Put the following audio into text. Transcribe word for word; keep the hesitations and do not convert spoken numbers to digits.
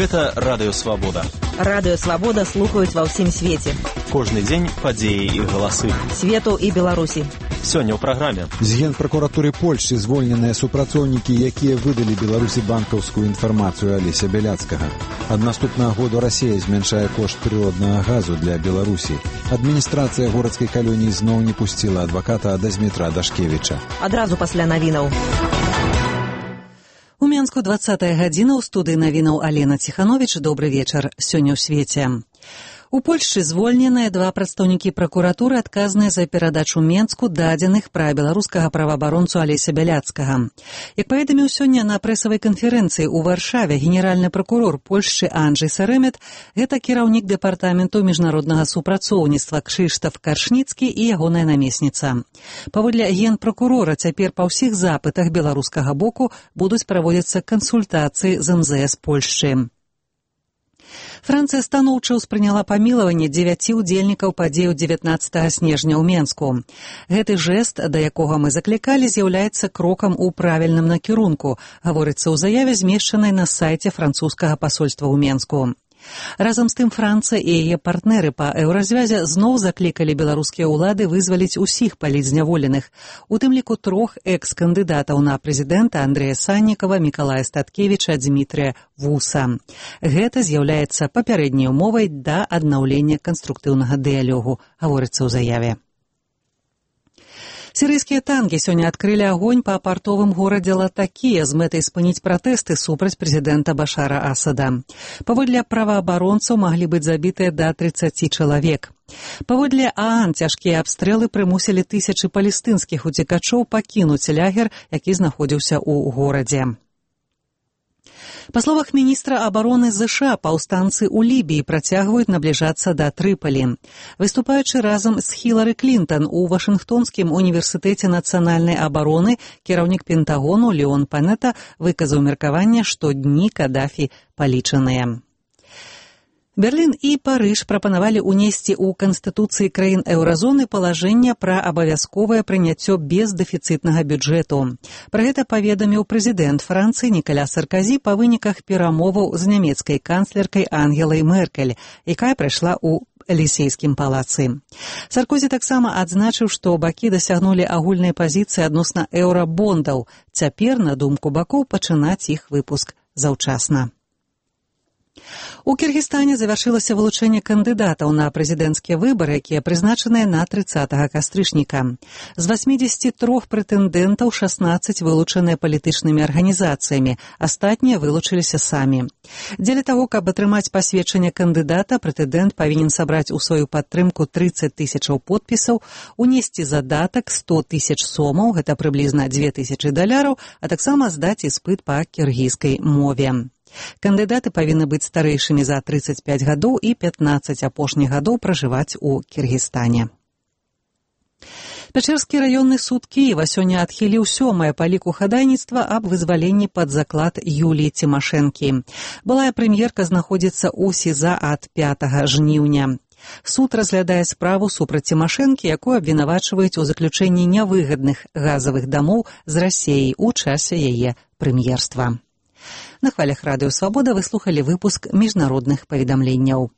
Гэта Радыё Свабода. Радыё Свабода слухаюць ва ўсім свеце. Кожны дзень падзеі і галасы. Свету і Беларусі. Сёння ў праграме. З Генпракуратуры Польшчы звольненыя супрацоўнікі, якія выдалі Беларусі банкаўскую інфармацыю Алеся Бяляцкага. Ад наступнага году Расія змяншае кошт прыроднага газу для Беларусі. Адміністрацыя горадскай калоніі зноў не пусціла адваката Дазмітра Дашкевіча. Адразу пасля навінаў. У Менску двадцатая гадзіна, ў студыі навінаў Алена Ціхановіч. Добры вечар. Сёння ў свеце. У Польшчы звольненыя два прадстаўнікі пракуратуры, адказныя за перадачу Менску дадзеных пра беларускага праваабаронцу Алеся Бяляцкага. Як паведаміў сёння на прэсавай канферэнцыі ў Варшаве генеральны пракурор Польшчы Анджэй Саремет, гэта кіраўнік дэпартаменту міжнароднага супрацоўніцтва Крzysztof Каршніцкі і ягоная намесніца. Паводле генпракурора, цяпер па ўсіх запытах беларускага боку будуць праводзіцца кансультацыі з эм зэ эс Польшчы. Францыя станоўча ўспрыняла памілаванне дзевяці ўдзельнікаў падзеяў дзевятнаццатага снежня ў Менску. Гэты жэст, да якога мы заклікалі, з'яўляецца крокам у правільным накірунку, гаворыцца ў заяве, змешчанай на сайце французскага пасольства ў Менску. Разам з тым Францыя і яе партнеры па еўразвязе зноў заклікалі беларускія ўлады вызваліць усіх палітзняволеных, у тым ліку трох экс-кандыдатаў на прэзідэнта Андрэя Саннікава, Мікалая Статкевіча, Дзмітрыя Вуса. Гэта з'яўляецца папярэдняй умовай да аднаўлення канструктыўнага дыялогу, гаворыцца ў заяве. Сірыйскія танкі сёння адкрылі агонь па партовым горадзе Латакія з мэтай спыніць пратэсты супраць прэзідэнта Башара Асада. Паводле праваабаронцаў маглі быць забітыя да трыццаці чалавек. Паводле ААН цяжкія абстрэлы прымусілі тысячы палестынскіх уцекачоў пакінуць лагер, які знаходзіўся ў горадзе. Па словах міністра абароны ЗША, паўстанцы ў Лібіі працягваюць набліжацца да Трыпалі. Выступаючы разам з Хілары Клінтон у Вашынгтонскім універсітэце нацыянальнай абароны, кіраўнік Пентагону Леон Панета выказаў меркаванне, што дні Кадафі палічаныя. Берлін і Парыж прапанавалі ўнесці ў канстытуцыі краін еўразоны палажэнне пра абавязковае прыняццё бездэфіцытнага бюджэту. Пра гэта паведаміў прэзідэнт Францыі Нікаля Сарказі па выніках перамоваў з нямецкай канцлеркай Ангелай Меркель, якая прайшла ў Элісейскім палацы. Саркозі таксама адзначыў, што бакі дасягнулі агульнай пазіцыі адносна еўрабондаў. Цяпер, на думку бакоў, пачынаць іх выпуск заўчасна. У Кіргізстане завяршылася вылучэнне кандыдатаў на прэзідэнцкія выбары, якія прызначаныя на трыццатага кастрычніка. З васьмідзесяці трох прэтэндэнтаў шаснаццаць вылучаныя палітычнымі арганізацыямі, астатнія вылучыліся самі. Дзеля таго, каб атрымаць пасведчанне кандыдата, прэтэндэнт павінен сабраць у сваю падтрымку трыццаць тысячаў подпісаў, унесці задатак сто тысяч сомаў, гэта прыблізна дзве тысячы даляраў, а таксама здаць іспыт па кіргізскай мове. Кандыдаты павінны быць старэйшымі за трыццаць пяць гадоў і пятнаццаць апошніх гадоў пражываць у Кіргізстане. Пячэрскі раённы суд Кіева сёння адхіліў сёмае па ліку хадайніцтва аб вызваленні пад заклад Юліі Цімашэнкі. Былая прэм'ерка знаходзіцца ў СІЗА ад пятага жніўня. Суд разглядае справу супраць Цімашэнкі, якую абвінавачваюць у заключэнні нявыгадных газавых дамоў з Расіяй у часе яе прэм'ерства. На хвалях Радыё Свабода вы слухалі выпуск міжнародных паведамленняў.